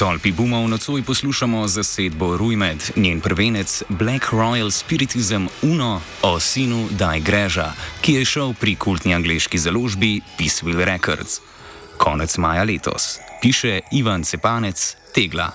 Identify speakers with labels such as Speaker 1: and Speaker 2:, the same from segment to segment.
Speaker 1: Tolpi bumov nocoj poslušamo zasedbo Rujmed, njen prvenec Black Royal Spiritism Uno o sinu Daj Greža, ki je šel pri kultni angleški založbi Peaceville Records. Konec maja letos, piše Ivan Cepanec, Tegla.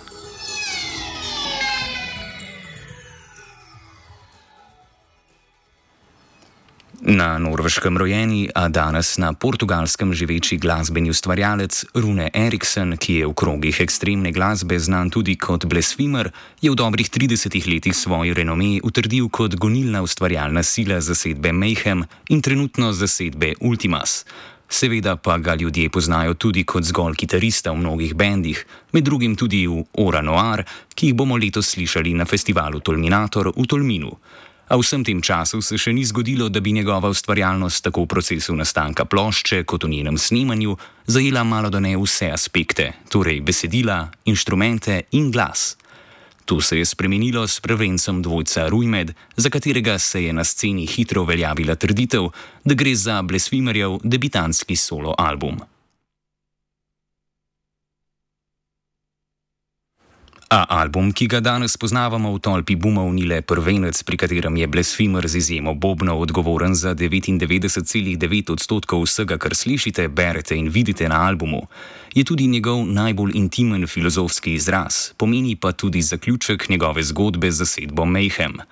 Speaker 1: Na Norveškem rojeni, a danes na Portugalskem živeči glasbeni ustvarjalec Rune Eriksen, ki je v krogih ekstremne glasbe znan tudi kot Blasphemer, je v dobrih 30 letih svoj renome utrdil kot gonilna ustvarjalna sila zasedbe Mayhem in trenutno zasedbe Ultimas. Seveda pa ga ljudje poznajo tudi kot zgolj kitarista v mnogih bendih, med drugim tudi v Ora Noir, ki jih bomo letos slišali na festivalu Tolminator v Tolminu. A vsem tem času se še ni zgodilo, da bi njegova ustvarjalnost tako v procesu nastanka plošče kot v njenem snemanju zajela malodane vse aspekte, torej besedila, inštrumente in glas. To se je spremenilo s prvencem dvojca Rujmed, za katerega se je na sceni hitro uveljavila trditev, da gre za Blasphemerjev debitantski solo album. A album, ki ga danes poznavamo v Tolpi bumov, ni le prvenec, pri katerem je Blasphemer z izjemo bobnov odgovoren za 99,9% vsega, kar slišite, berete in vidite na albumu. Je tudi njegov najbolj intimen filozofski izraz, pomeni pa tudi zaključek njegove zgodbe z zasedbo Mayhem.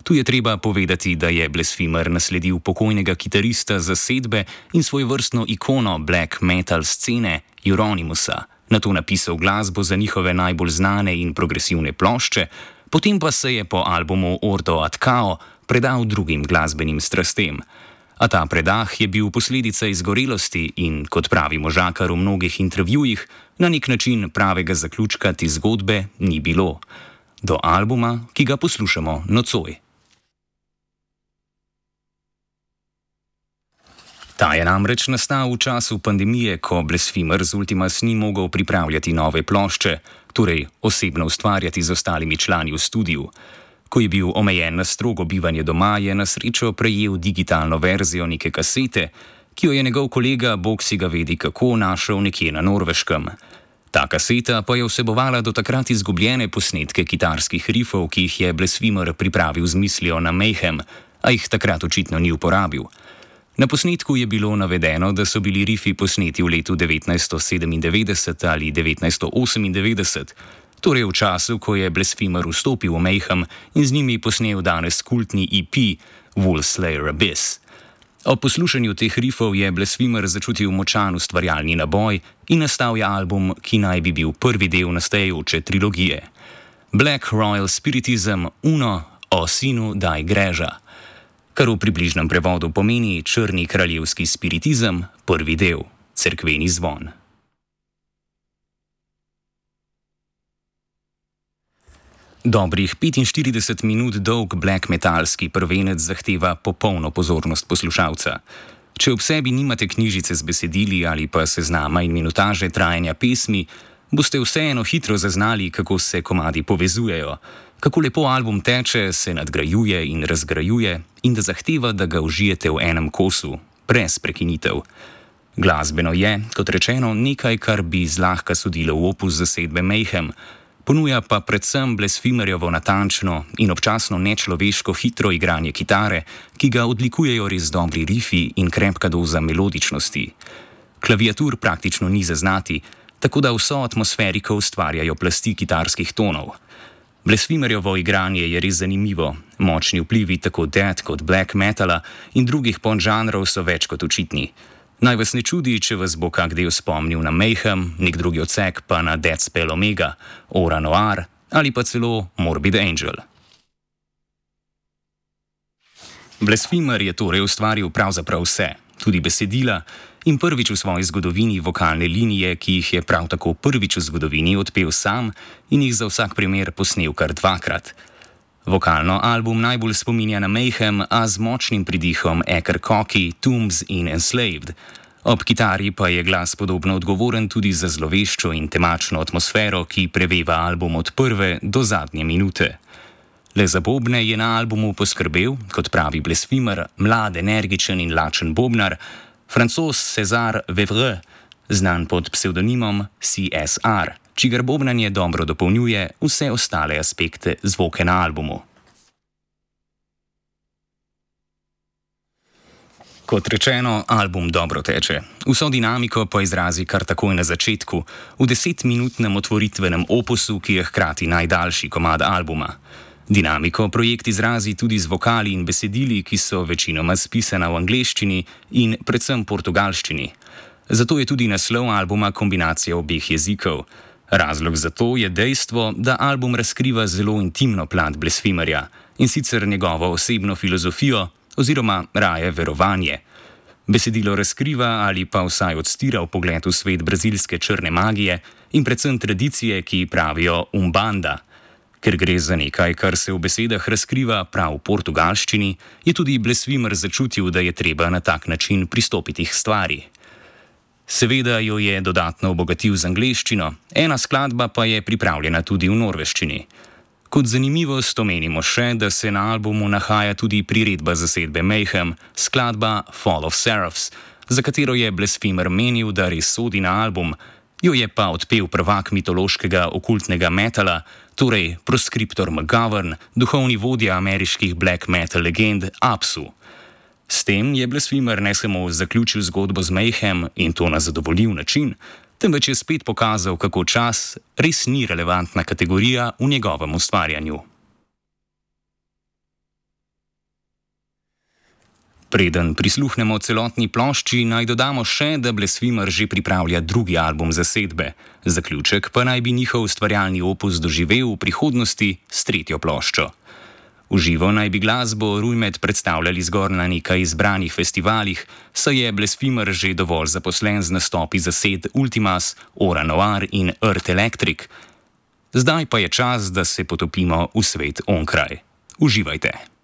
Speaker 1: Tu je treba povedati, da je Blasphemer nasledil pokojnega kitarista zasedbe in svojevrstno ikono black metal scene Euronymousa. Nato napisal glasbo za njihove najbolj znane in progresivne plošče, potem pa se je po albumu Ordo ad Kao predal drugim glasbenim strastem. A ta predah je bil posledica izgorelosti in, kot pravi možakar v mnogih intervjujih, na nek način pravega zaključka te zgodbe ni bilo. Do albuma, ki ga poslušamo nocoj. Ta je namreč nastal v času pandemije, ko Blasphemer z Ultimas ni mogel pripravljati nove plošče, torej osebno ustvarjati z ostalimi člani v studiu. Ko je bil omejen na strogo bivanje doma, je na srečo prejel digitalno verzijo neke kasete, ki jo je njegov kolega, bog si ga vedi kako, našel nekje na Norveškem. Ta kaseta pa je vsebovala do takrat izgubljene posnetke kitarskih rifov, ki jih je Blasphemer pripravil z mislijo na Mayhem, a jih takrat očitno ni uporabil. Na posnetku je bilo navedeno, da so bili rifi posneti v letu 1997 ali 1998, torej v času, ko je Blasphemer vstopil v Mayhem in z njimi posnel danes kultni EP Wolfslayer Abyss. Ob poslušanju teh rifov je Blasphemer začutil močan ustvarjalni naboj in nastal je album, ki naj bi bil prvi del nastajajoče trilogije. Black Royal Spiritism Uno o sinu Daj Greža, kar v približnem prevodu pomeni Črni kraljevski spiritizem, prvi del, cerkveni zvon. Dobrih 45 minut dolg black metalski prvenec zahteva popolno pozornost poslušalca. Če ob sebi nimate knjižice z besedili ali pa seznama in minutaže trajanja pesmi, boste vseeno hitro zaznali, kako se komadi povezujejo, kako lepo album teče, se nadgrajuje in razgrajuje in da zahteva, da ga užijete v enem kosu, brez prekinitev. Glasbeno je, kot rečeno, nekaj, kar bi zlahka sodilo v opus zasedbe Mayhem, ponuja pa predvsem Blasphemerjevo natančno in občasno nečloveško hitro igranje kitare, ki ga odlikujejo res dobri rifi in krepka doza melodičnosti. Klaviatur praktično ni zaznati, tako da vso atmosferiko ustvarjajo plasti kitarskih tonov. Blasphemerjevo igranje je res zanimivo, močni vplivi tako death kot black metala in drugih podžanrov so več kot očitni. Naj vas ne čudi, če vas bo kak del spomnil na Mayhem, nek drugi odsek pa na Deathspell Omega, Ora Noir ali pa celo Morbid Angel. Blasphemer je torej ustvaril pravzaprav vse, tudi besedila, in prvič v svoji zgodovini vokalne linije, ki jih je prav tako prvič v zgodovini odpel sam in jih za vsak primer posnel kar dvakrat. Vokalno album najbolj spominja na Mayhem, a z močnim pridihom Eker Cocky, Tombs in Enslaved. Ob kitari pa je glas podobno odgovoren tudi za zloveščo in temačno atmosfero, ki preveva album od prve do zadnje minute. Le za bobne je na albumu poskrbel, kot pravi Blasphemer, mlad, energičen in lačen bobnar, Francoz César Vevre, znan pod psevdonimom CSR, čigar bobnanje dobro dopolnjuje vse ostale aspekte zvoke na albumu. Kot rečeno, album dobro teče. Vso dinamiko pa izrazi kar takoj na začetku, v 10-minutnem otvoritvenem opusu, ki je hkrati najdaljši komad albuma. Dinamiko projekt izrazi tudi z vokali in besedili, ki so večinoma spisana v angleščini in predvsem portugalščini. Zato je tudi naslov albuma kombinacija obeh jezikov. Razlog za to je dejstvo, da album razkriva zelo intimno plat Blasphemerja, in sicer njegovo osebno filozofijo oziroma raje verovanje. Besedilo razkriva ali pa vsaj odstira vpogled v svet brazilske črne magije in predvsem tradicije, ki pravijo Umbanda. Ker gre za nekaj, kar se v besedah razkriva prav v portugalščini, je tudi Blasphemer začutil, da je treba na tak način pristopiti k stvari. Seveda jo je dodatno obogatil z angleščino, ena skladba pa je pripravljena tudi v norveščini. Kot zanimivost omenimo še, da se na albumu nahaja tudi priredba zasedbe Mayhem, skladba Fall of Seraphs, za katero je Blasphemer menil, da res sodi na album, jo je pa odpel prvak mitološkega okultnega metala, torej Proscriptor McGovern, duhovni vodja ameriških black metal legend Apsu. S tem je Blasphemer ne samo zaključil zgodbo z Mayhem in to na zadovoljiv način, temveč je spet pokazal, kako čas res ni relevantna kategorija v njegovem ustvarjanju. Preden prisluhnemo celotni plošči, naj dodamo še, da Blasphemer že pripravlja drugi album zasedbe. Zaključek pa naj bi njihov ustvarjalni opus doživel v prihodnosti s tretjo ploščo. V živo naj bi glasbo Rujmed predstavljali zgolj na nekaj izbranih festivalih, saj je Blasphemer že dovolj zaposlen z nastopi zased Ultimas, Ora Noir in Earth Electric. Zdaj pa je čas, da se potopimo v svet onkraj. Uživajte!